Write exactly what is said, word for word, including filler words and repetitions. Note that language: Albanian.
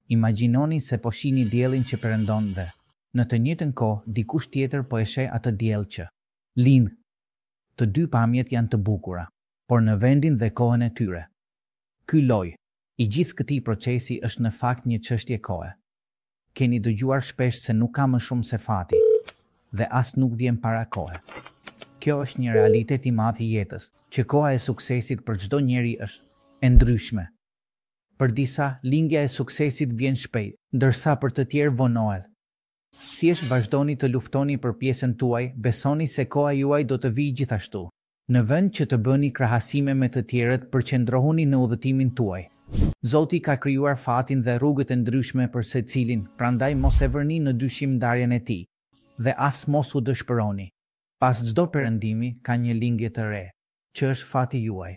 Imagjinoni se po shihni diellin që perëndon dhe, në të njëjtën kohë, dikush tjetër po e sheh atë diell që lind. Të dy pamjet janë të bukura, por në vendin dhe kohën e tyre. Ky lloj i gjithë këtij procesi është në fakt një çështje kohe. Keni dëgjuar shpesh se nuk ka më shumë se fati dhe as nuk vjen para kohe. Kjo është një realitet i madh i jetës, që koha e suksesit për çdo njeri është e ndryshme. Për disa, lindja e suksesit vjen shpejt, ndërsa për të tjerë vonohet. Thjesht vazhdoni të luftoni për pjesën tuaj, besoni se koha juaj do të vijë gjithashtu. Në vend që të bëni krahasime me të tjerët, përqendrohuni në udhëtimin tuaj. Zoti ka krijuar fatin dhe rrugët e ndryshme për secilin, prandaj mos e vërni në dyshim ndarjen e tij dhe as mos u dëshpëroni. Pas çdo perëndimi ka një lindje të re, që është fati juaj.